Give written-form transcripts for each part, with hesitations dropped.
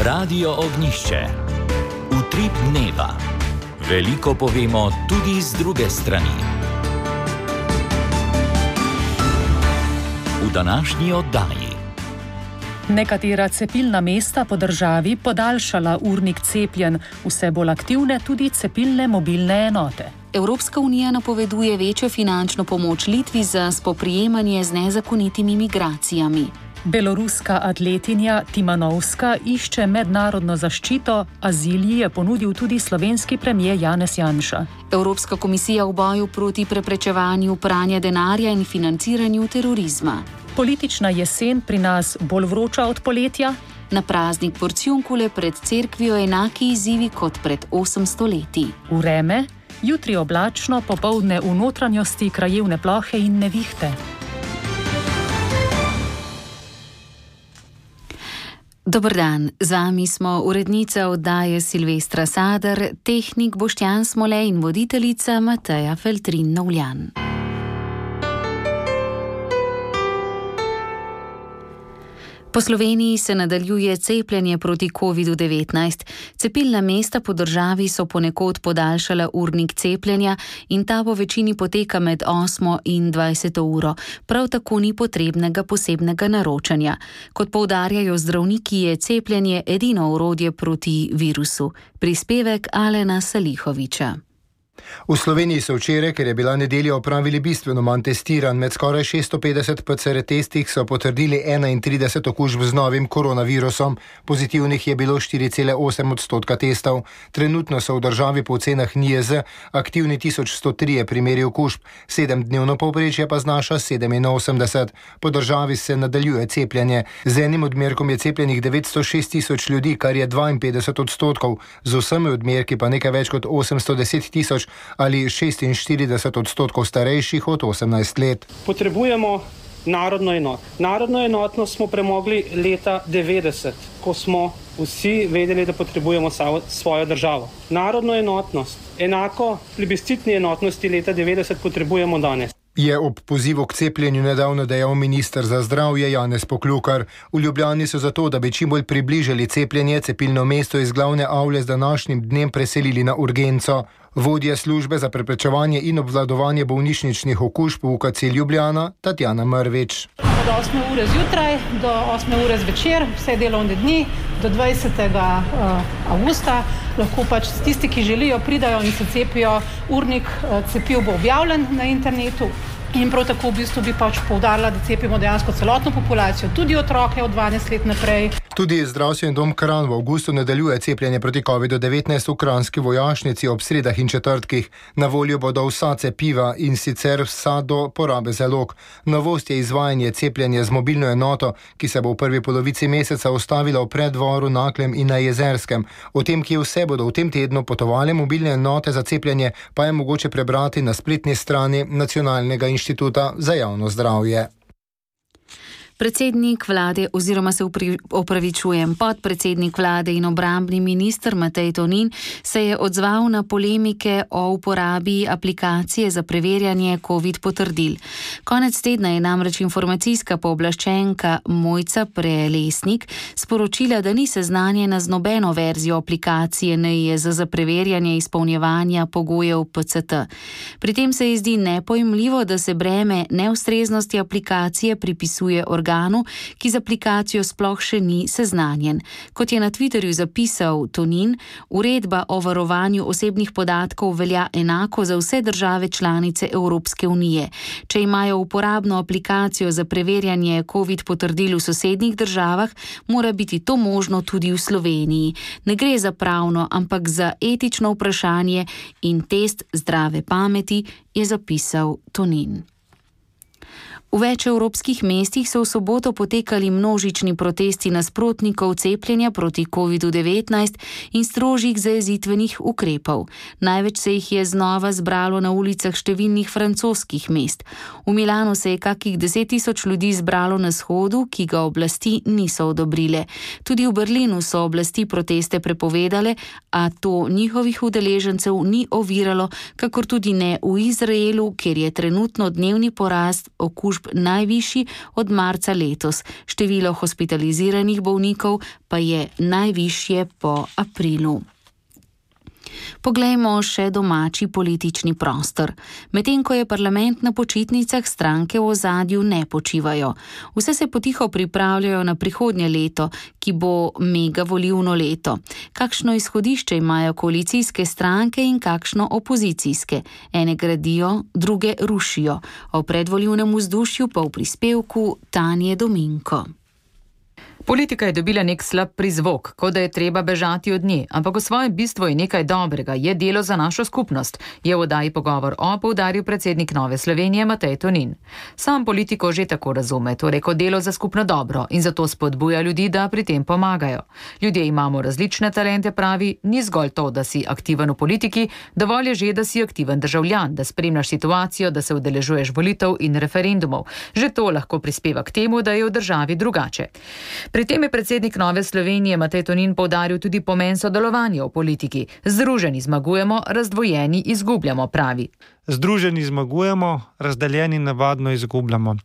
Radio Ognjišče. Utrip dneva. Veliko povemo tudi z druge strani. V današnji oddaji. Nekatera cepilna mesta po državi podaljšala urnik cepljenj, vse bolj aktivne tudi cepilne mobilne enote. Evropska unija napoveduje večjo finančno pomoč Litvi za spoprijemanje z nezakonitimi migracijami. Beloruska atletinja Timanovska išče mednarodno zaščito, azil ji je ponudil tudi slovenski premier Janez Janša. Evropska komisija v boju proti preprečevanju pranja denarja in financiranju terorizma. Politična jesen pri nas bolj vroča od poletja? Na praznik Porciunkule pred cerkvijo enaki izzivi kot pred 800 leti. Vreme, jutri oblačno, popoldne v notranjosti krajevne plohe in nevihte. Dober dan, z vami smo urednica oddaje Silvestra Sadar, tehnik Boštjan Smole in voditeljica Mateja Feltrin-Novljan. Po Sloveniji se nadaljuje cepljenje proti COVID-19. Cepilna mesta po državi so ponekod podaljšala urnik cepljenja in ta po večini poteka med 8 in 20 uro. Prav tako ni potrebnega posebnega naročanja. Kot poudarjajo zdravniki, je cepljenje edino orodje proti virusu. Prispevek Alena Salihoviča. V Sloveniji so včeraj, ker je bila nedelja, opravili bistveno manj testiranj. Med skoraj 650 PCR testih so potrdili 31 okužb z novim koronavirusom. Pozitivnih je bilo 4,8% testov. Trenutno so v državi po ocenah NIJZ aktivni 1103 primeri okužb, 7-dnevno povprečje pa znaša 87. Po državi se nadaljuje cepljenje. Z enim odmerkom je cepljenih 906 tisoč ljudi, kar je 52%. Z vsemi odmerki pa nekaj več kot 810 tisoč ali 46% starejših od 18 let. Potrebujemo narodno enotnost. Narodno enotnost smo premogli leta 90, ko smo vsi vedeli, da potrebujemo svojo državo. Narodno enotnost, enako plebiscitni enotnosti leta 90 potrebujemo danes. Je ob pozivu k cepljenju nedavno dejal minister za zdravje Janez Poklukar. V Ljubljani so zato, da bi čim bolj približali cepljenje, cepilno mesto iz glavne avle z današnjim dnem preselili na urgenco. Vodja službe za preprečevanje in obvladovanje bolnišničnih okužb v UKC Ljubljana, Tatjana Mrvič. Od 8 ure zjutraj do 8 ure zvečer, vse delovne dni, do 20. avgusta, lahko pač tisti, ki želijo, pridajo in se cepijo. Urnik cepiv bo objavljen na internetu. In prav tako v bistvu bi pač poudarila, da cepimo dejansko celotno populacijo, tudi otroke od 12 let naprej. Tudi zdravstveni dom Kranj v avgustu nadaljuje cepljenje proti COVID-19 v kranjski vojašnici ob sredah in četrtkih. Na voljo bodo vsa cepiva in sicer vsa do porabe zalog. Novost je izvajanje cepljenja z mobilno enoto, ki se bo v prvi polovici meseca ustavila v Preddvoru, Naklem in na Jezerskem. O tem, kje vse bodo v tem tednu potovale mobilne enote za cepljenje, pa je mogoče prebrati na spletni strani Nacionalnega inštituta za javno zdravje. Predsednik vlade oziroma podpredsednik vlade in obrambni minister Matej Tonin se je odzval na polemike o uporabi aplikacije za preverjanje COVID potrdil. Konec tedna je namreč informacijska pooblaščenka Mojca Prelesnik sporočila, da ni seznanjena z nobeno verzijo aplikacije NIJZ za preverjanje izpolnjevanja pogojev PCT. Pri tem se ji zdi nepojmljivo, da se breme neustreznosti aplikacije pripisuje organu, ki z aplikacijo sploh še ni seznanjen. Kot je na Twitterju zapisal Tonin, uredba o varovanju osebnih podatkov velja enako za vse države članice Evropske unije. Če imajo uporabno aplikacijo za preverjanje COVID potrdil v sosednjih državah, mora biti to možno tudi v Sloveniji. Ne gre za pravno, ampak za etično vprašanje in test zdrave pameti, je zapisal Tonin. V več evropskih mestih so v soboto potekali množični protesti nasprotnikov cepljenja proti COVID-19 in strožjih zajezitvenih ukrepov. Največ se jih je znova zbralo na ulicah številnih francoskih mest. V Milanu se je kakih 10 tisoč ljudi zbralo na shodu, ki ga oblasti niso odobrile. Tudi v Berlinu so oblasti proteste prepovedale, a to njihovih udeležencev ni oviralo, kakor tudi ne v Izraelu, kjer je trenutno dnevni porast okužb okužb najvišji od marca letos. Število hospitaliziranih bolnikov pa je najvišje po aprilu. Poglejmo še domači politični prostor. Medtem ko je parlament na počitnicah, stranke v ozadju ne počivajo. Vse se potiho pripravljajo na prihodnje leto, ki bo mega volilno leto. Kakšno izhodišče imajo koalicijske stranke in kakšno opozicijske? Ene gradijo, druge rušijo. O predvolilnem vzdušju pa v prispevku Tanje Dominko. Politika je dobila nek slab prizvok, kot da je treba bežati od nje, ampak v svojem bistvu je nekaj dobrega, je delo za našo skupnost, je v oddaji Pogovor poudaril predsednik Nove Slovenije Matej Tonin. Sam politiko že tako razume, torej kot delo za skupno dobro in zato spodbuja ljudi, da pri tem pomagajo. Ljudje imamo različne talente, pravi, ni zgolj to, da si aktiven v politiki, dovolj je že, da si aktiven državljan, da spremljaš situacijo, da se udeležuješ volitev in referendumov. Že to lahko prispeva k temu, da je v državi drugače. Pri tem je predsednik Nove Slovenije Matej Tonin poudaril tudi pomen sodelovanja v politiki. Združeni zmagujemo, razdvojeni izgubljamo, pravi. Združeni zmagujemo, razdeljeni navadno izgubljamo.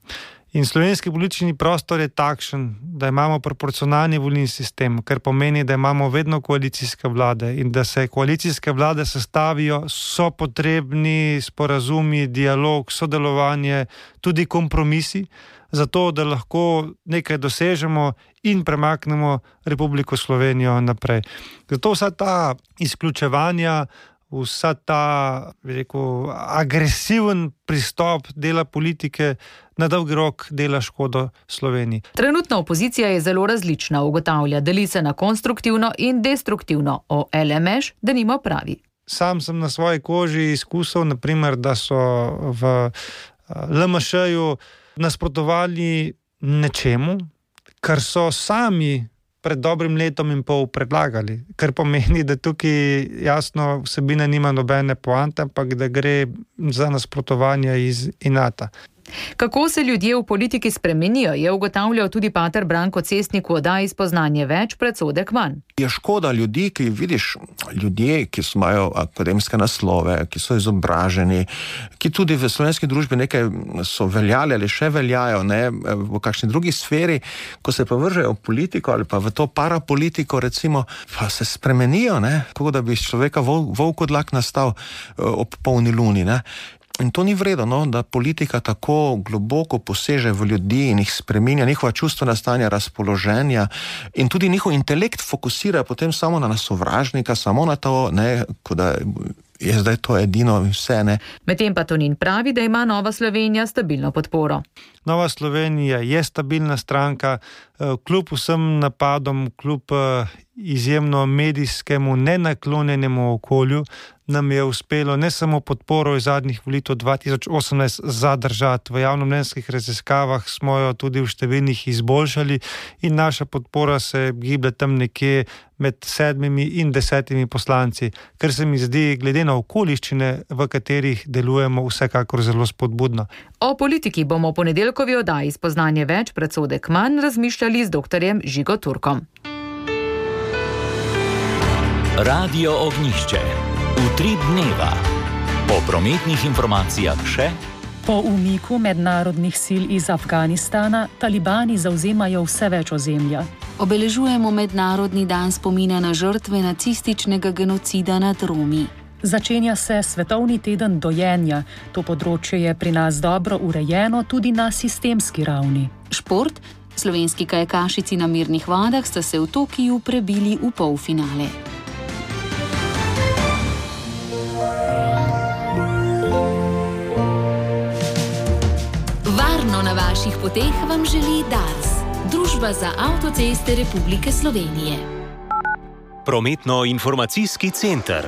In slovenski politični prostor je takšen, da imamo proporcionalni volilni sistem, kar pomeni, da imamo vedno koalicijske vlade in da se koalicijske vlade sestavijo, so potrebni sporazumi, dialog, sodelovanje, tudi kompromisi, zato da lahko nekaj dosežemo in premaknemo Republiko Slovenijo naprej. Zato vsa ta izključevanja, vsa ta, bi rekel, agresiven pristop dela politike na dolgi rok dela škodo Sloveniji. Trenutna opozicija je zelo različna, ugotavlja, deli se na konstruktivno in destruktivno. O LMŠ denimo pravi. Sam sem na svoji koži izkusil, naprimer, da so v LMŠ-ju nasprotovali nečemu, kar so sami pred dobrim letom in pol predlagali, kar pomeni, da tukaj jasno vsebina nima nobene poante, ampak da gre za nasprotovanje iz inata. Kako se ljudje v politiki spremenijo, je ugotavljal tudi pater Branko Cestnik v oddaji Spoznanje več, predsodek manj. Je škoda ljudi, ki vidiš, ljudje, ki imajo akademske naslove, ki so izobraženi, ki tudi v slovenski družbi nekaj so veljali ali še veljajo, ne, v kakšni drugi sferi, ko se pa vržejo v politiko ali pa v to parapolitiko, recimo, pa se spremenijo, ne, kako da bi iz človeka volk odlak nastal ob polni luni, ne. In to ni vredno, no, da politika tako globoko poseže v ljudi in jih spreminja, njihova čustvena stanja, razpoloženja in tudi njihov intelekt fokusira potem samo na sovražnika, samo na to, ne, kot da je zdaj to edino vse, ne. Medtem pa Tonin pravi, da ima Nova Slovenija stabilno podporo. Nova Slovenija je stabilna stranka, kljub vsem napadom, kljub izjemno medijskemu nenaklonjenemu okolju, nam je uspelo ne samo podporo iz zadnjih volitev 2018 zadržati. V javnomnenjskih raziskavah smo jo tudi v številnih izboljšali in naša podpora se giblje tam nekje med 7 in 10 poslanci, kar se mi zdi, glede na okoliščine, v katerih delujemo, vsekakor zelo spodbudno. O politiki bomo v ponedeljkovi oddaji Spoznanje več, predsodek manj razmišljali z doktorjem Žigo Turkom. Radio Ognjišče. Utrip dneva. Po prometnih informacijah še. Po umiku mednarodnih sil iz Afganistana talibani zavzemajo vse več ozemlja. Obeležujemo Mednarodni dan spomina na žrtve nacističnega genocida nad Romi. Začenja se Svetovni teden dojenja. To področje je pri nas dobro urejeno tudi na sistemski ravni. Šport. Slovenski kajakašici na mirnih vodah sta se v Tokiju prebili v polfinale. Varno na vaših poteh vam želi Dars, Družba za avtoceste Republike Slovenije. Prometno-informacijski center.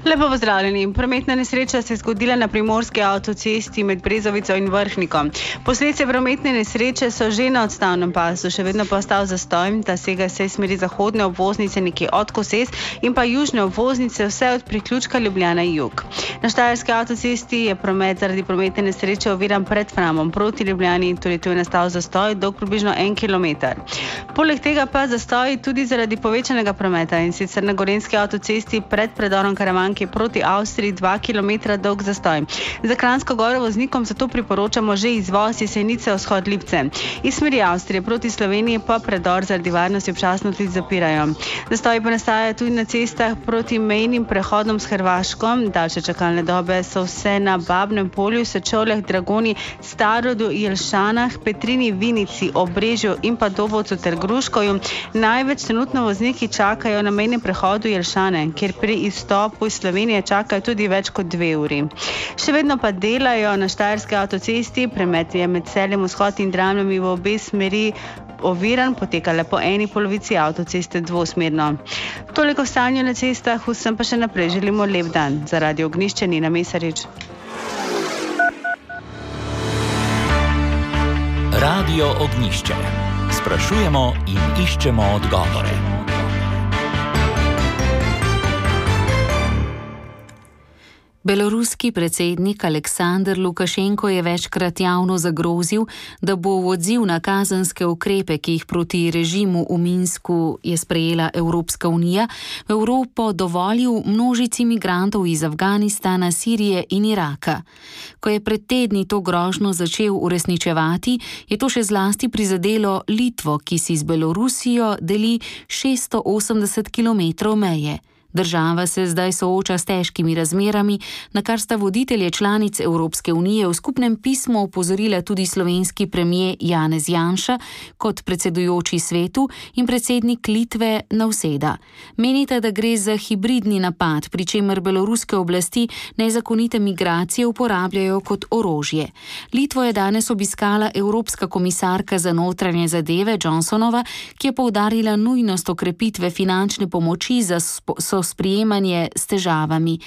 Lepo pozdravljeni. Prometna nesreča se je zgodila na primorski avtocesti med Brezovico in Vrhnikom. Posledice prometne nesreče so že na odstavnem pasu, še vedno pa ostal zastoj, da sega se smeri zahodne obvoznice nekje od Koses in pa južne obvoznice vse od priključka Ljubljana jug. Na štajerski avtocesti je promet zaradi prometne nesreče oviran pred Framom proti Ljubljani in tudi tu je nastal zastoj dolg približno 1 kilometer. Poleg tega pa zastoji tudi zaradi povečanega prometa, in sicer na Gorenjski avtocesti pred predorom Karavanke proti Avstriji 2 km dolg zastoj. Za Kranjsko Goro voznikom zato priporočamo že izvoz Jesenice vzhod Lipce. Iz smeri Avstrije proti Sloveniji pa predor zaradi varnosti občasno tudi zapirajo. Zastoji pa nastajajo tudi na cestah proti mejnim prehodom s Hrvaško. Daljše čakalne dobe so vse na Babnem Polju, Sečovljah, Dragoni, Starodu, Jelšanah, Petrini, Vinici, Obrežju in pa Dobovcu ter Gruškovju. Največ trenutno vozniki čakajo na mejnem prehodu Jelšane, kjer pri izstopu iz Slovenije čakajo tudi več kot 2 uri. Še vedno pa delajo na Štajerski avtocesti, promet je med Celjem vzhod in Dramljami v obe smeri oviran, poteka le po eni polovici avtoceste dvosmerno. Toliko v stanju na cestah, vsem pa še naprej želimo lep dan. Za Radio Ognjišče Nina Mesarič. Radio Ognjišče. Sprašujemo in iščemo odgovore. Beloruski predsednik Aleksandr Lukašenko je večkrat javno zagrozil, da bo v odziv na kazenske ukrepe, ki jih proti režimu v Minsku je sprejela Evropska unija, v Evropo dovolil množici migrantov iz Afganistana, Sirije in Iraka. Ko je pred tedni to grožnjo začel uresničevati, je to še zlasti prizadelo Litvo, ki si z Belorusijo deli 680 km meje. Država se zdaj sooča s težkimi razmerami, na kar sta voditelje članic Evropske unije v skupnem pismu opozorila tudi slovenski premier Janez Janša kot predsedujoči svetu in predsednik Litve Nauseda. Menite, da gre za hibridni napad, pri čemer beloruske oblasti nezakonite migracije uporabljajo kot orožje. Litvo je danes obiskala Evropska komisarka za notranje zadeve Johnsonova, ki je poudarila nujnost okrepitve finančne pomoči za sprejemanje s težavami.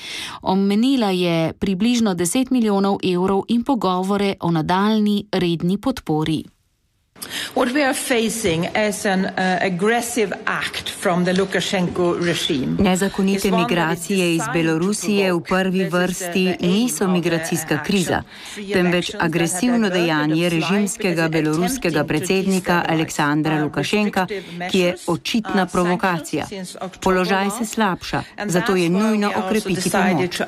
Omenila je približno 10 milijonov evrov in pogovore o nadaljnji redni podpori. What we are facing is an aggressive act from the Lukashenko regime. Nezakonite migracije iz Belorusije v prvi vrsti niso migracijska kriza, temveč agresivno dejanje režimskega beloruskega predsednika Aleksandra Lukašenka, ki je očitna provokacija. Položaj se slabša, zato je nujno okrepiti pomoč.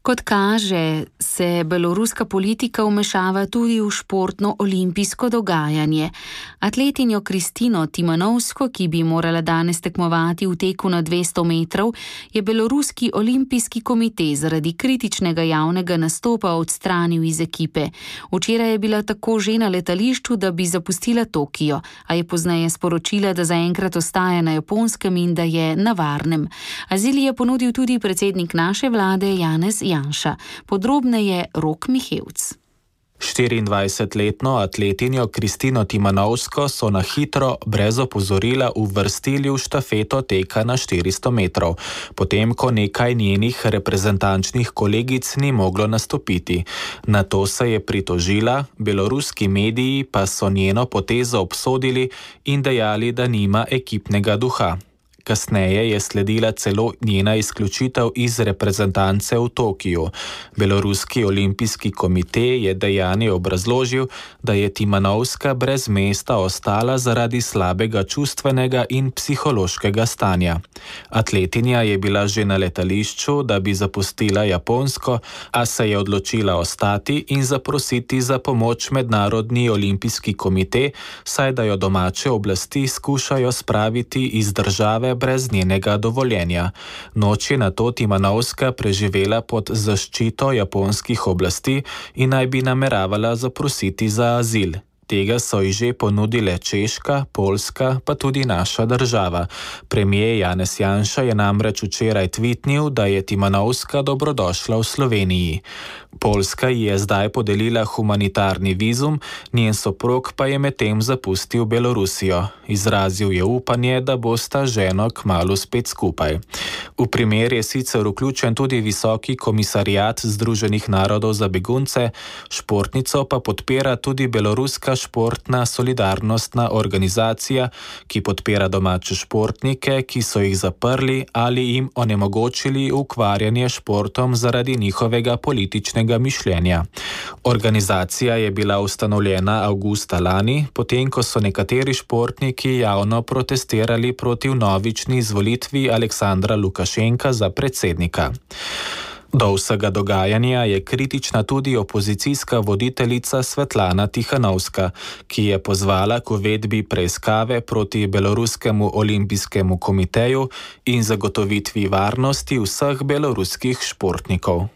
Kot kaže, se beloruska politika vmešava tudi v športno olimpijsko dogajanje. Atletinjo Kristino Timanovsko, ki bi morala danes tekmovati v teku na 200 metrov, je beloruski olimpijski komite zaradi kritičnega javnega nastopa odstranil iz ekipe. Včeraj je bila tako že na letališču, da bi zapustila Tokio, a je pozneje sporočila, da zaenkrat ostaja na Japonskem in da je na varnem. Azil je ponudil tudi predsednik naše vlade Janez Janša. Podrobneje Rok Mihevc. 24-letno atletinjo Kristino Timanovsko so na hitro, brez opozorila, uvrstili v štafeto teka na 400 metrov, potem ko nekaj njenih reprezentančnih kolegic ni moglo nastopiti. Na to se je pritožila, beloruski mediji pa so njeno potezo obsodili in dejali, da nima ekipnega duha. Kasneje je sledila celo njena izključitev iz reprezentance v Tokiju. Beloruski olimpijski komite je dejanje obrazložil, da je Timanovska brez mesta ostala zaradi slabega čustvenega in psihološkega stanja. Atletinja je bila že na letališču, da bi zapustila Japonsko, a se je odločila ostati in zaprositi za pomoč Mednarodni olimpijski komite, saj da jo domače oblasti skušajo spraviti iz države brez njenega dovoljenja. Noč je nato Timanovska preživela pod zaščito japonskih oblasti in naj bi nameravala zaprositi za azil. Tega so ji že ponudile Češka, Poljska, pa tudi naša država. Premier Janez Janša je namreč včeraj tvitnil, da je Timanovska dobrodošla v Sloveniji. Poljska ji je zdaj podelila humanitarni vizum, njen soprog pa je medtem zapustil Belorusijo. Izrazil je upanje, da bosta ženo kmalu spet skupaj. V primer je sicer vključen tudi Visoki komisariat Združenih narodov za begunce, športnico pa podpira tudi beloruska športna solidarnostna organizacija, ki podpira domače športnike, ki so jih zaprli ali jim onemogočili ukvarjanje športom zaradi njihovega političnega mišljenja. Organizacija je bila ustanovljena avgusta lani, potem ko so nekateri športniki javno protestirali proti vnovični izvolitvi Aleksandra Lukašenka za predsednika. Do vsega dogajanja je kritična tudi opozicijska voditeljica Svetlana Tihanovska, ki je pozvala k uvedbi preiskave proti Beloruskemu olimpijskemu komiteju in zagotovitvi varnosti vseh beloruskih športnikov.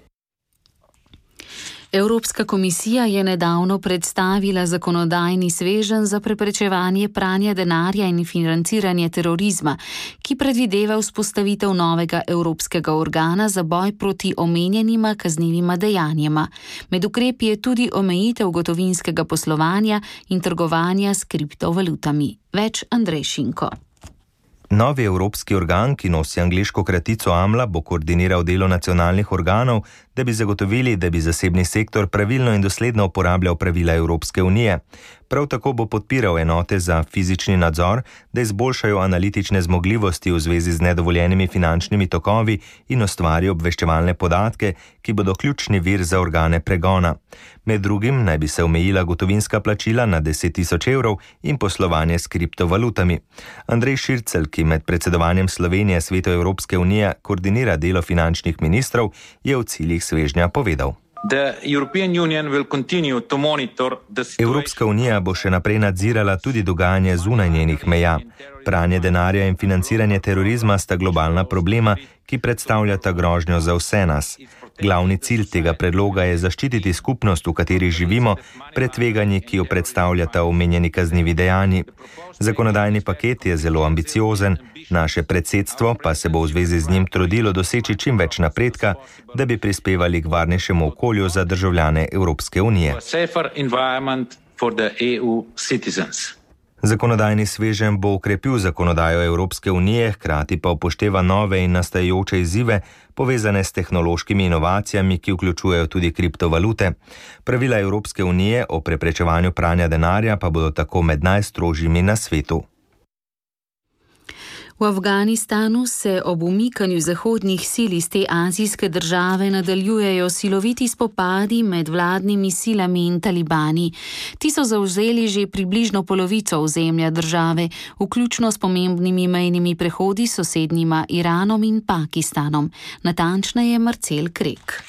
Evropska komisija je nedavno predstavila zakonodajni sveženj za preprečevanje pranja denarja in financiranje terorizma, ki predvideva vzpostavitev novega evropskega organa za boj proti omenjenima kaznivima dejanjima. Med ukrepi je tudi omejitev gotovinskega poslovanja in trgovanja s kriptovalutami. Več Andrej Šinko. Novi evropski organ, ki nosi angleško kratico AMLA, bo koordiniral delo nacionalnih organov, da bi zagotovili, da bi zasebni sektor pravilno in dosledno uporabljal pravila Evropske unije. Prav tako bo podpiral enote za fizični nadzor, da izboljšajo analitične zmogljivosti v zvezi z nedovoljenimi finančnimi tokovi in ustvari obveščevalne podatke, ki bodo ključni vir za organe pregona. Med drugim naj bi se omejila gotovinska plačila na 10.000 evrov in poslovanje s kriptovalutami. Andrej Šircelj, ki med predsedovanjem Slovenije Svetu Evropske unije koordinira delo finančnih ministrov, je v ciljih svežnja povedal. Evropska unija bo še naprej nadzirala tudi dogajanje zunaj njenih meja. Pranje denarja in financiranje terorizma sta globalna problema, ki predstavljata grožnjo za vse nas. Glavni cilj tega predloga je zaščititi skupnost, v kateri živimo, pred tveganji, ki jo predstavljata omenjeni kaznivi dejanji. Zakonodajni paket je zelo ambiciozen, naše predsedstvo pa se bo v zvezi z njim trudilo doseči čim več napredka, da bi prispevali k varnejšemu okolju za državljane Evropske unije. Zakonodajni sveženj bo okrepil zakonodajo Evropske unije, hkrati pa upošteva nove in nastajajoče izzive, povezane s tehnološkimi inovacijami, ki vključujejo tudi kriptovalute. Pravila Evropske unije o preprečevanju pranja denarja pa bodo tako med najstrožjimi na svetu. V Afganistanu se ob umikanju zahodnih sil iz te azijske države nadaljujejo siloviti spopadi med vladnimi silami in talibani. Ti so zavzeli že približno polovico ozemlja države, vključno s pomembnimi mejnimi prehodi s sosednjima Iranom in Pakistanom. Natančneje Marcel Krek.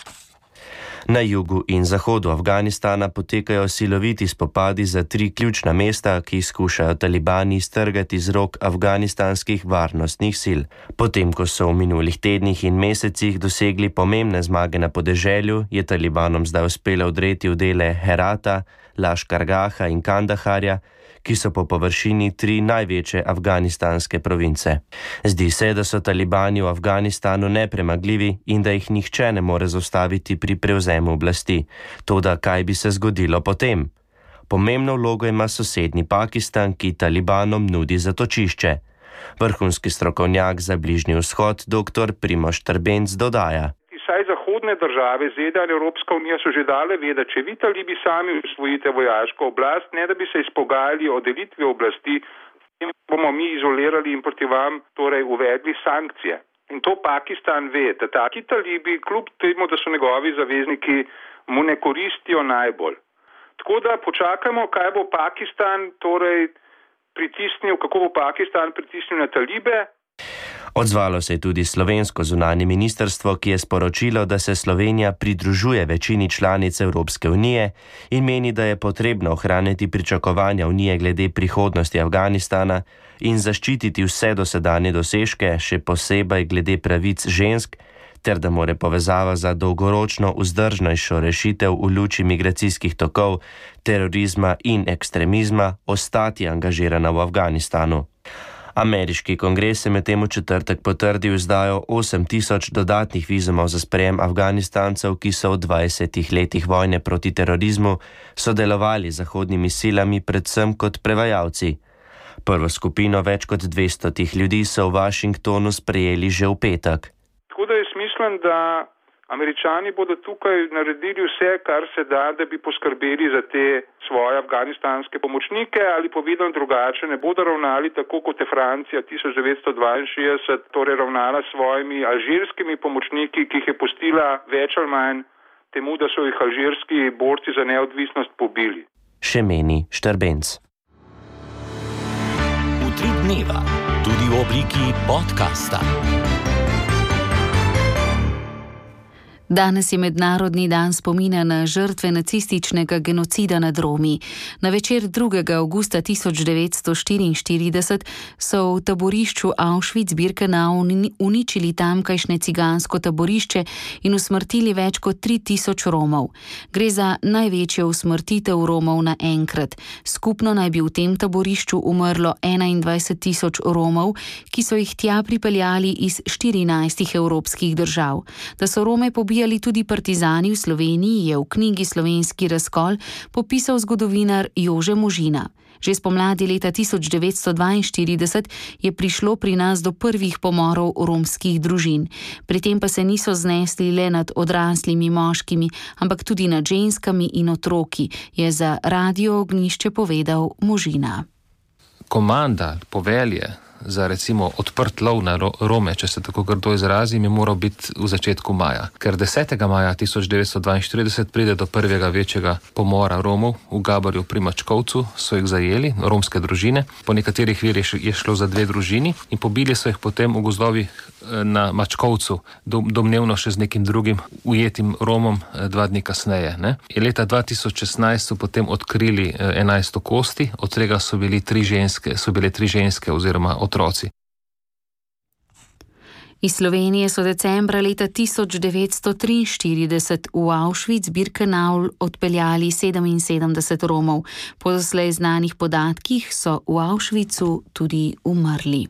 Na jugu in zahodu Afganistana potekajo siloviti spopadi za 3 ključna mesta, ki jih skušajo talibani iztrgati z rok afganistanskih varnostnih sil. Potem, ko so v minulih tednih in mesecih dosegli pomembne zmage na podeželju, je talibanom zdaj uspelo odreti v dele Herata, Laškargaha in Kandaharja, ki so po površini 3 največje afganistanske province. Zdi se, da so talibani v Afganistanu nepremagljivi in da jih nihče ne more zaustaviti pri prevzemu oblasti. Toda kaj bi se zgodilo potem? Pomembno vlogo ima sosednji Pakistan, ki talibanom nudi zatočišče. Vrhunski strokovnjak za Bližnji vzhod, dr. Primož Trbenc, dodaja. Vsaj zahodne države, ZDA in Evropska unija so že dale vedeti, če vi talibi sami usvojite vojaško oblast, ne da bi se izpogajali o delitvi oblasti, bomo mi izolirali in proti vam torej uvedli sankcije. In to Pakistan ve, da taki talibi, kljub temu, da so njegovi zavezniki, mu ne koristijo najbolj. Tako da počakajmo, kaj bo Pakistan torej pritisnil, kako bo Pakistan pritisnil na talibe. Odzvalo se je tudi slovensko zunanje ministrstvo, ki je sporočilo, da se Slovenija pridružuje večini članic Evropske unije in meni, da je potrebno ohraniti pričakovanja unije glede prihodnosti Afganistana in zaščititi vse dosedanje dosežke, še posebej glede pravic žensk, ter da mora povezava za dolgoročno vzdržnejšo rešitev v luči migracijskih tokov, terorizma in ekstremizma ostati angažirana v Afganistanu. Ameriški kongres je medtem v četrtek potrdil izdajo 8.000 dodatnih vizumov za sprejem Afganistancev, ki so v 20 letih vojne proti terorizmu sodelovali z zahodnimi silami predvsem kot prevajalci. Prvo skupino več kot 200 ljudi so v Washingtonu sprejeli že v petek. Tako da jaz mislim, da Američani bodo tukaj naredili vse, kar se da, da bi poskrbeli za te svoje afganistanske pomočnike ali povedano drugače, ne bodo ravnali tako, kot je Francija 1962 torej ravnala s svojimi alžirskimi pomočniki, ki jih je pustila več ali manj temu, da so jih alžirski borci za neodvisnost pobili. Še meni Štrbenc. Utrip dneva, tudi v obliki podcasta. Danes je Mednarodni dan spomina na žrtve nacističnega genocida nad Romi. Na večer 2. avgusta 1944 so v taborišču Auschwitz-Birkenau uničili tamkajšnje cigansko taborišče in usmrtili več kot 3000 Romov. Gre za največjo usmrtitev Romov naenkrat. Skupno naj bi v tem taborišču umrlo 21 000 Romov, ki so jih tja pripeljali iz 14 evropskih držav. Da so Rome pobijali tudi partizani v Sloveniji, je v knjigi Slovenski razkol popisal zgodovinar Jože Možina. Že spomladi leta 1942 je prišlo pri nas do prvih pomorov romskih družin. Pri tem pa se niso znesli le nad odraslimi moškimi, ampak tudi nad ženskami in otroki, je za Radio Ognjišče povedal Možina. Komanda, povelje za recimo odprt lov na Rome, če se tako grdo izrazim, je moral biti v začetku maja. Ker 10. maja 1942 pride do prvega večjega pomora Romov v Gabarju pri Mačkovcu, so jih zajeli, romske družine. Po nekaterih virih je šlo za 2 družini in pobili so jih potem v gozdovih na Mačkovcu, domnevno še z nekim drugim ujetim Romom 2 dni kasneje. Ne? In leta 2016 so potem odkrili 11 kosti, od tega so bile 3 ženske oziroma otroci. Iz Slovenije so decembra leta 1943 v Auschwitz-Birkenau odpeljali 77 Romov. Po doslej znanih podatkih so v Auschwitzu tudi umrli.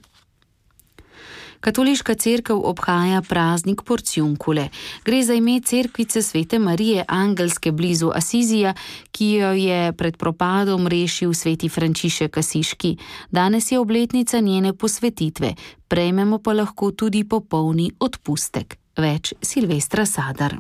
Katoliška cerkev obhaja praznik Porciunkule. Gre za ime cerkvice Svete Marije Angelske blizu Asizija, ki jo je pred propadom rešil sveti Frančišek Asiški. Danes je obletnica njene posvetitve, prejmemo pa lahko tudi popolni odpustek. Več Silvestra Sadar.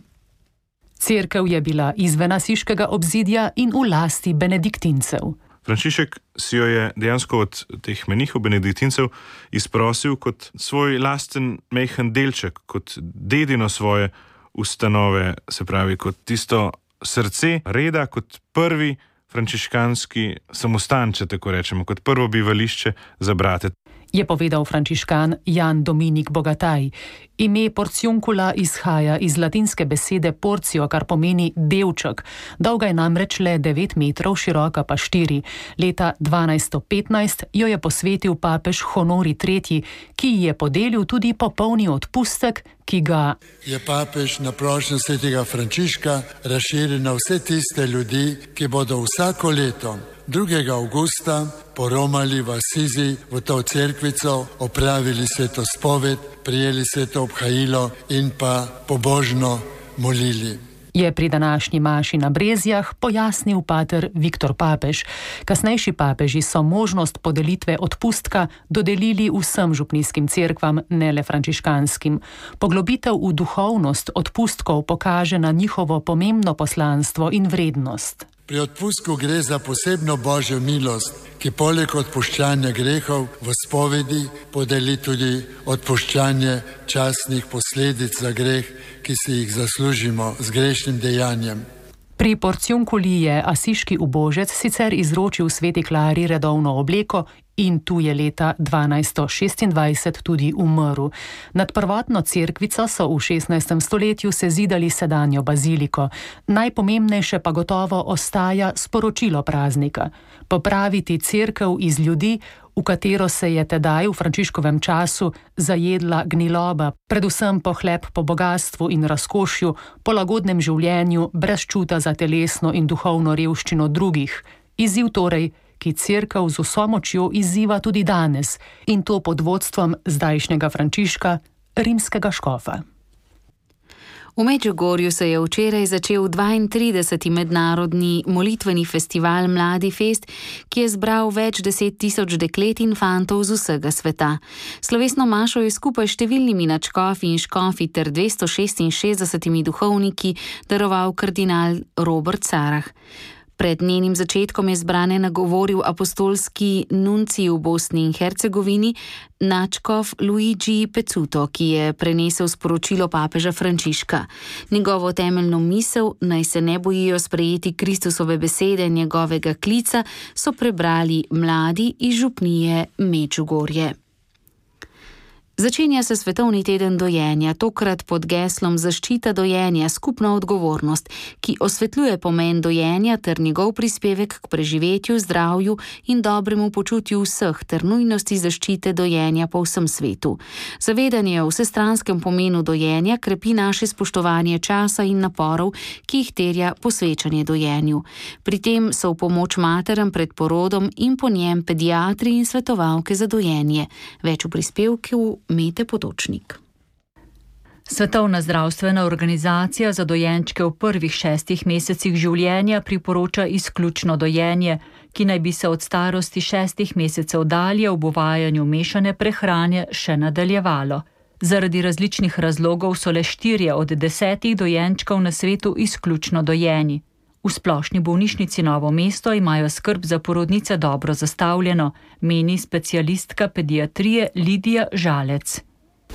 Cerkev je bila izven Asiškega obzidja in v lasti benediktincev. Frančišek si jo je dejansko od teh menihov benediktincev izprosil kot svoj lasten mejhen delček, kot dedino svoje ustanove, se pravi kot tisto srce reda, kot prvi frančiškanski samostan, če tako rečemo, kot prvo bivališče za brate. Je povedal frančiškan Jan Dominik Bogataj. Ime Porciunkula izhaja iz latinske besede porcio, kar pomeni delček. Dolga je namreč le 9 metrov, široka pa 4. Leta 1215 jo je posvetil papež Honori III, ki ji je podelil tudi popolni odpustek, ki ga je papež na prošnjo svetega Frančiška razširil na vse tiste ljudi, ki bodo vsako leto 2. avgusta poromali v Asizi v to cerkvico, opravili sveto spoved, prijeli sveto obhajilo in pa pobožno molili. Je pri današnji maši na Brezjah pojasnil pater Viktor Papež. Kasnejši papeži so možnost podelitve odpustka dodelili vsem župnijskim cerkvam, ne le frančiškanskim. Poglobitev v duhovnost odpustkov pokaže na njihovo pomembno poslanstvo in vrednost. Pri odpustku gre za posebno božjo milost, ki poleg odpuščanja grehov v spovedi podeli tudi odpuščanje častnih posledic za greh, ki si jih zaslužimo z grešnim dejanjem. Pri Porciunkuli je asiški ubožec sicer izročil sveti Klari redovno obleko in tu je leta 1226 tudi umrl. Nad prvotno cerkvico so v 16. stoletju sezidali sedanjo baziliko. Najpomembnejše pa gotovo ostaja sporočilo praznika. Popraviti cerkev iz ljudi, v katero se je tedaj v Frančiškovem času zajedla gniloba, predvsem pohlep po bogatstvu in razkošju, po lagodnem življenju, brez čuta za telesno in duhovno revščino drugih. Izziv torej, ki cerkev z vso močjo izziva tudi danes, in to pod vodstvom zdajšnjega Frančiška, rimskega škofa. V Medžugorju se je včeraj začel 32. mednarodni molitveni festival Mladi Fest, ki je zbral več 10 tisoč deklet in fantov z vsega sveta. Slovesno mašo je skupaj s številnimi nadškofi in škofi ter 266 duhovniki daroval kardinal Robert Sarah. Pred njenim začetkom je zbrane nagovoril apostolski nuncij v Bosni in Hercegovini, nadškof Luigi Pezzuto, ki je prenesel sporočilo papeža Frančiška. Njegovo temeljno misel, naj se ne bojijo sprejeti Kristusove besede njegovega klica, so prebrali mladi iz župnije Medžugorje. Začenja se svetovni teden dojenja, tokrat pod geslom Zaščita dojenja, skupna odgovornost, ki osvetljuje pomen dojenja ter njegov prispevek k preživetju, zdravju in dobremu počutju vseh ter nujnosti zaščite dojenja po vsem svetu. Zavedanje o vsestranskem pomenu dojenja krepi naše spoštovanje časa in naporov, ki jih terja posvečanje dojenju. Pri tem so v pomoč materam pred porodom in po njem pediatri in svetovalke za dojenje. Več v prispevku Mete Potočnik. Svetovna zdravstvena organizacija za dojenčke v prvih 6 mesecih življenja priporoča izključno dojenje, ki naj bi se od starosti 6 mesecev dalje ob uvajanju mešane prehrane še nadaljevalo. Zaradi različnih razlogov so le 4 od 10 dojenčkov na svetu izključno dojeni. V Splošni bolnišnici Novo mesto imajo skrb za porodnice dobro zastavljeno, meni specialistka pediatrije Lidija Žalec.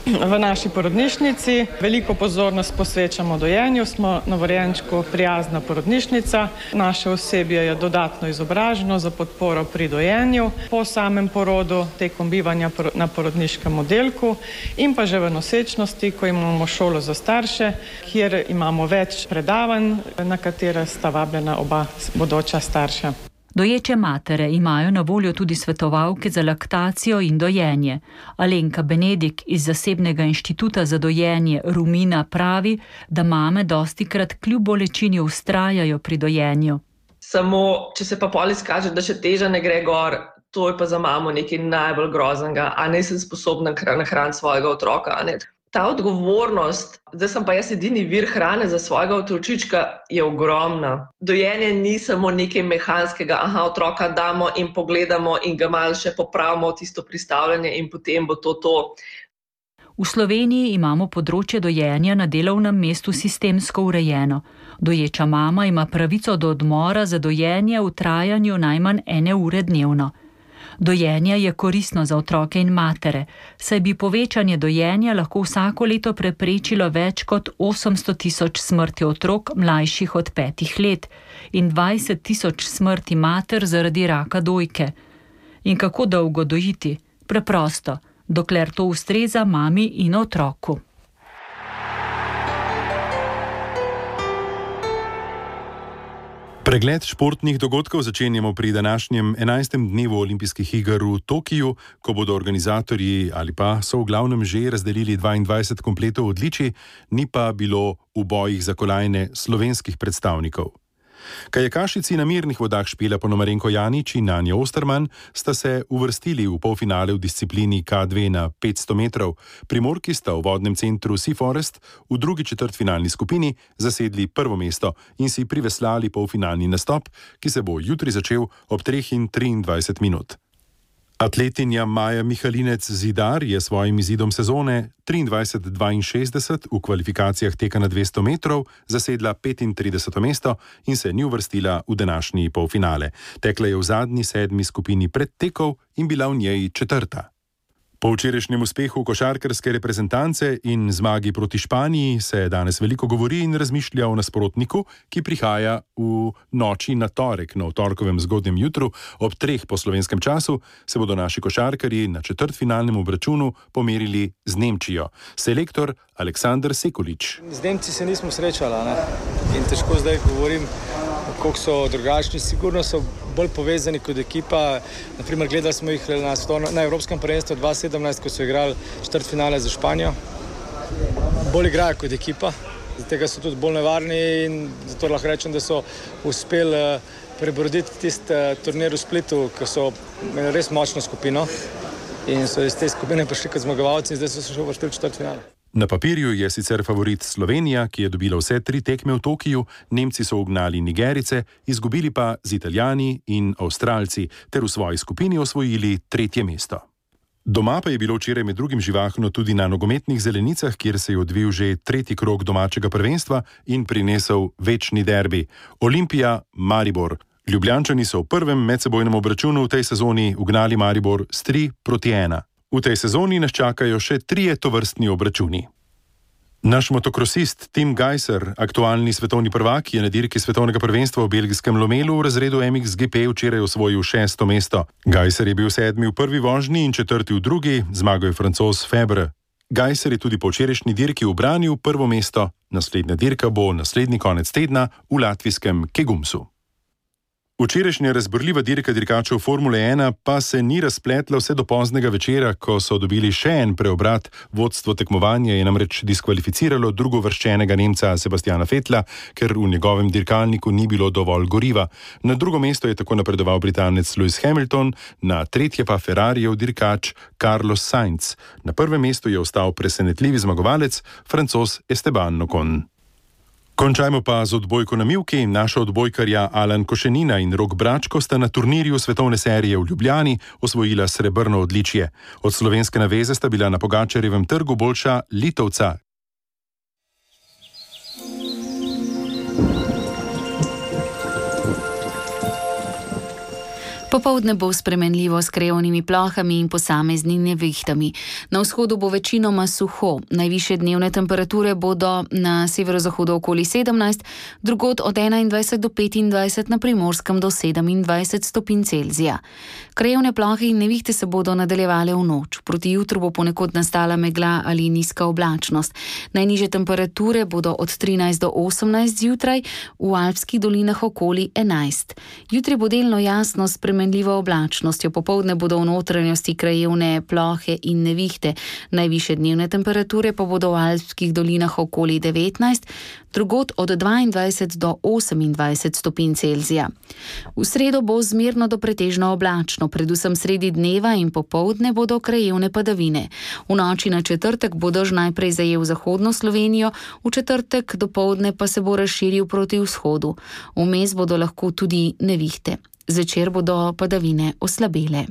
V naši porodnišnici veliko pozornost posvečamo dojenju, smo novorojenčku prijazna porodnišnica. Naše osebje je dodatno izobraženo za podporo pri dojenju, po samem porodu, tekom bivanja na porodniškem oddelku in pa že v nosečnosti, ko imamo šolo za starše, kjer imamo več predavanj, na katere sta vabljena oba bodoča starša. Doječe matere imajo na voljo tudi svetovalke za laktacijo in dojenje. Alenka Benedik iz zasebnega inštituta za dojenje Rumina pravi, da mame dostikrat kljub bolečini vztrajajo pri dojenju. Samo, če se pa pol izkaže, da še teža ne gre gor, to je pa za mamo nekaj najbolj groznega, a ne sem sposobna nahraniti svojega otroka, a ne. Ta odgovornost, da sem pa jaz edini vir hrane za svojega otročička, je ogromna. Dojenje ni samo nekaj mehanskega, otroka damo in pogledamo in ga malo še popravimo tisto pristavljanje in potem bo to. V Sloveniji imamo področje dojenja na delovnem mestu sistemsko urejeno. Doječa mama ima pravico do odmora za dojenje v trajanju najmanj 1 ure dnevno. Dojenje je koristno za otroke in matere, saj bi povečanje dojenja lahko vsako leto preprečilo več kot 800 tisoč smrti otrok mlajših od 5 let in 20 tisoč smrti mater zaradi raka dojke. In kako dolgo dojiti? Preprosto, dokler to ustreza mami in otroku. Pregled športnih dogodkov začenjamo pri današnjem 11. dnevu olimpijskih iger v Tokiu, ko bodo organizatorji ali pa so v glavnem že razdelili 22 kompletov odličij, ni pa bilo v bojih za kolajne slovenskih predstavnikov. Kajakašici na mirnih vodah Špela Ponomarenko Janić in Anja Osterman sta se uvrstili v polfinale v disciplini K2 na 500 metrov. Primorki sta v vodnem centru Sea Forest v drugi četrtfinalni skupini zasedli prvo mesto in si priveslali polfinalni nastop, ki se bo jutri začel ob 3:23 minut. Atletinja Maja Mihalinec Zidar je svojim izidom sezone 23:62 v kvalifikacijah teka na 200 metrov zasedla 35. mesto in se ni uvrstila v današnji polfinale. Tekla je v zadnji 7. skupini predtekov in bila v njej 4. Po včerajšnjem uspehu košarkarske reprezentance in zmagi proti Španiji se danes veliko govori in razmišlja o nasprotniku, ki prihaja v noči na torek. Na torkovem zgodnjem jutru ob 3 po slovenskem času se bodo naši košarkarji na četrtfinalnem obračunu pomerili z Nemčijo. Selektor Aleksandar Sekulič. Z Nemci se nismo srečali, ne? In težko zdaj govorim, koliko so drugačni. Sigurno so bolj povezani kot ekipa. Naprimer, gledali smo jih na Evropskem prvenstvu 2017, ko so igrali četrtfinale za Španijo. Bolj igrajo kot ekipa, zato so tudi bolj nevarni in zato lahko rečem, da so uspeli prebroditi tisti turnir v Splitu, ko so imeli res močno skupino in so iz te skupine prišli kot zmagovalci in zdaj so se še uvrstili v četrtfinale. Na papirju je sicer favorit Slovenija, ki je dobila vse 3 tekme v Tokiju, Nemci so ugnali Nigerice, izgubili pa z Italijani in Avstralci, ter v svoji skupini osvojili 3. mesto. Doma pa je bilo včeraj med drugim živahno tudi na nogometnih zelenicah, kjer se je odvil že 3. krog domačega prvenstva in prinesel večni derbi. Olimpija, Maribor. Ljubljančani so v prvem medsebojnem obračunu v tej sezoni ugnali Maribor s 3-1. V tej sezoni nas čakajo še 3 tovrstni obračuni. Naš motokrosist Tim Gajser, aktualni svetovni prvak, je na dirki svetovnega prvenstva v belgijskem Lomelu v razredu MXGP včeraj osvojil 6. mesto. Gajser je bil 7. v prvi vožnji in 4. v drugi, zmagal je Francoz Febre. Gajser je tudi po včerajšnji dirki ubranil 1. mesto, naslednja dirka bo naslednji konec tedna v latvijskem Kegumsu. Včerajšnja razburljiva dirka dirkačev Formule 1 pa se ni razpletla vse do poznega večera, ko so dobili še en preobrat. Vodstvo tekmovanja je namreč diskvalificiralo drugovrščenega Nemca Sebastiana Vettla, ker v njegovem dirkalniku ni bilo dovolj goriva. Na drugo mesto je tako napredoval Britanec Lewis Hamilton, na 3. pa Ferrarijev dirkač Carlos Sainz. Na 1. mestu je ostal presenetljivi zmagovalec, Francoz Esteban Ocon. Končajmo pa z odbojko na mivki. Naša odbojkarja Alan Košenina in Rok Bračko sta na turnirju svetovne serije v Ljubljani osvojila srebrno odličje. Od slovenske naveze sta bila na Pogačarjevem trgu boljša Litovca. Popoldne bo spremenljivo s krajevnimi plohami in posameznimi nevihtami. Na vzhodu bo večinoma suho. Najvišje dnevne temperature bodo na severozahodu okoli 17, drugod od 21 do 25, na Primorskem do 27 stopinj Celzija. Krajevne plohe in nevihte se bodo nadaljevale v noč. Proti jutru bo ponekod nastala megla ali nizka oblačnost. Najnižje temperature bodo od 13 do 18 zjutraj, v alpskih dolinah okoli 11. Jutri bo delno jasno s spremenljivo oblačnostjo, popoldne bodo v notranjosti krajevne plohe in nevihte. Najvišje dnevne temperature pa bodo v alpskih dolinah okoli 19, drugod od 22 do 28 stopinj Celzija. V sredo bo zmerno do pretežno oblačno, predvsem sredi dneva in popoldne bodo krajevne padavine. V noči na četrtek bo dež najprej zajel zahodno Slovenijo, v četrtek dopoldne pa se bo razširil proti vzhodu. Vmes bodo lahko tudi nevihte. Zvečer bodo padavine oslabele.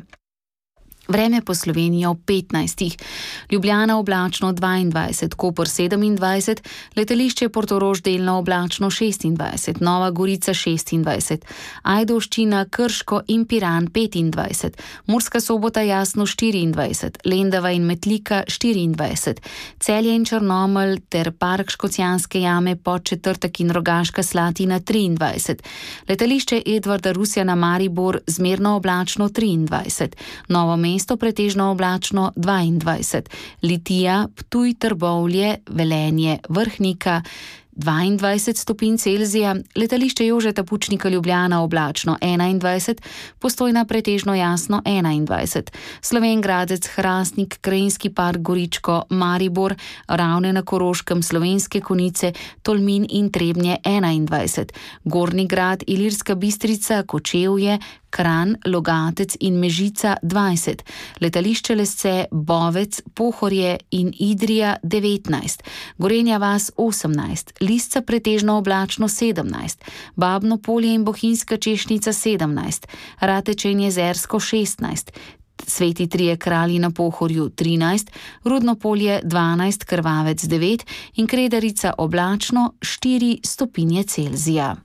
Vreme po Sloveniji ob 15. Ljubljana oblačno 22, Koper 27, letališče Portorož delno oblačno 26, Nova Gorica 26, Ajdovščina, Krško in Piran 25, Murska Sobota jasno 24, Lendava in Metlika 24, Celje in Črnomelj ter Park Škocjanske jame, Podčetrtek in Rogaška Slatina 23, letališče Edvarda Rusjana Maribor zmerno oblačno 23, Novo mesto pretežno oblačno 22, Litija, Ptuj, Trbovlje, Velenje, Vrhnika 22 stopinj Celzija, letališče Jožeta Pučnika Ljubljana oblačno 21, Postojna pretežno jasno 21, Slovenj Gradec, Hrastnik, Krajinski park Goričko, Maribor, Ravne na Koroškem, Slovenske Konjice, Tolmin in Trebnje 21, Gornji Grad, Ilirska Bistrica, Kočevje, Kranj, Logatec in Mežica 20, letališče Lesce, Bovec, Pohorje in Idrija 19, Gorenja vas 18, Lisca pretežno oblačno 17, Babno Polje in Bohinjska Češnica 17, Rateče in Jezersko 16, Sveti Trije Kralji na Pohorju 13, Rudno Polje 12, Krvavec 9 in Kredarica oblačno 4 stopinje Celzija.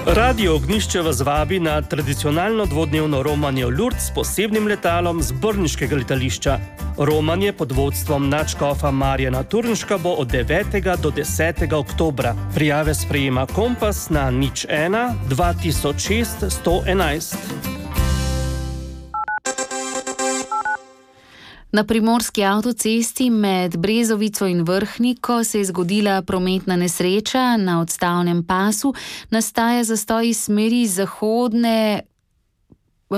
Radio Ognjišče vas vabi na tradicionalno dvodnevno romanje v Lourdes s posebnim letalom z brniškega letališča. Romanje pod vodstvom nadškofa Marjana Turnška bo od 9. do 10. oktobra. Prijave sprejema Kompas na 01 2006 111. Na primorski avtocesti med Brezovico in Vrhniko se je zgodila prometna nesreča. Na odstavnem pasu nastaja zastoj iz smeri zahodne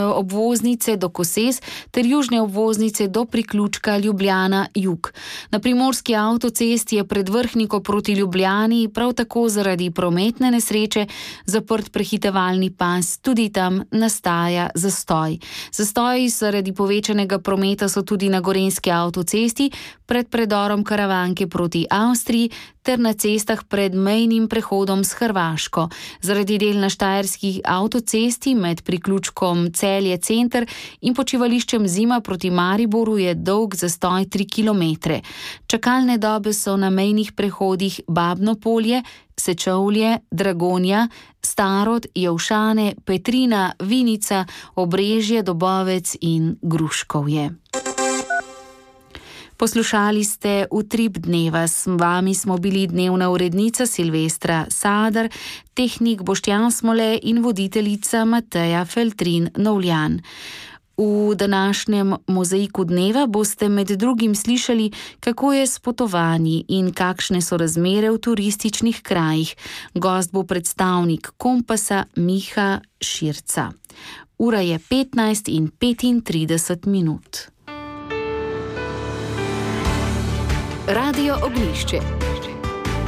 obvoznice do Koses ter južne obvoznice do priključka Ljubljana-Jug. Na primorski avtocesti je pred Vrhniko proti Ljubljani prav tako zaradi prometne nesreče zaprt prehitevalni pas, tudi tam nastaja zastoj. Zastoji zaradi povečanega prometa so tudi na gorenjski avtocesti pred predorom Karavanke proti Avstriji ter na cestah pred mejnim prehodom s Hrvaško. Zaradi del na štajerskih avtocesti med priključkom Celje center in počivališčem Zima proti Mariboru je dolg zastoj 3 km. Čakalne dobe so na mejnih prehodih Babno Polje, Sečovlje, Dragonja, Starod, Jevšane, Petrina, Vinica, Obrežje, Dobovec in Gruškovje. Poslušali ste Utrip dneva, s vami smo bili dnevna urednica Silvestra Sadar, tehnik Boštjan Smole in voditeljica Mateja Feltrin-Novljan. V današnjem mozaiku dneva boste med drugim slišali, kako je s potovanji in kakšne so razmere v turističnih krajih. Gost bo predstavnik Kompasa Miha Širca. Ura je 15:35. Radio Oglišče.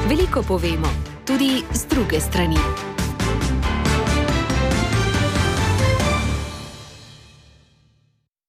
Veliko povemo, tudi z druge strani.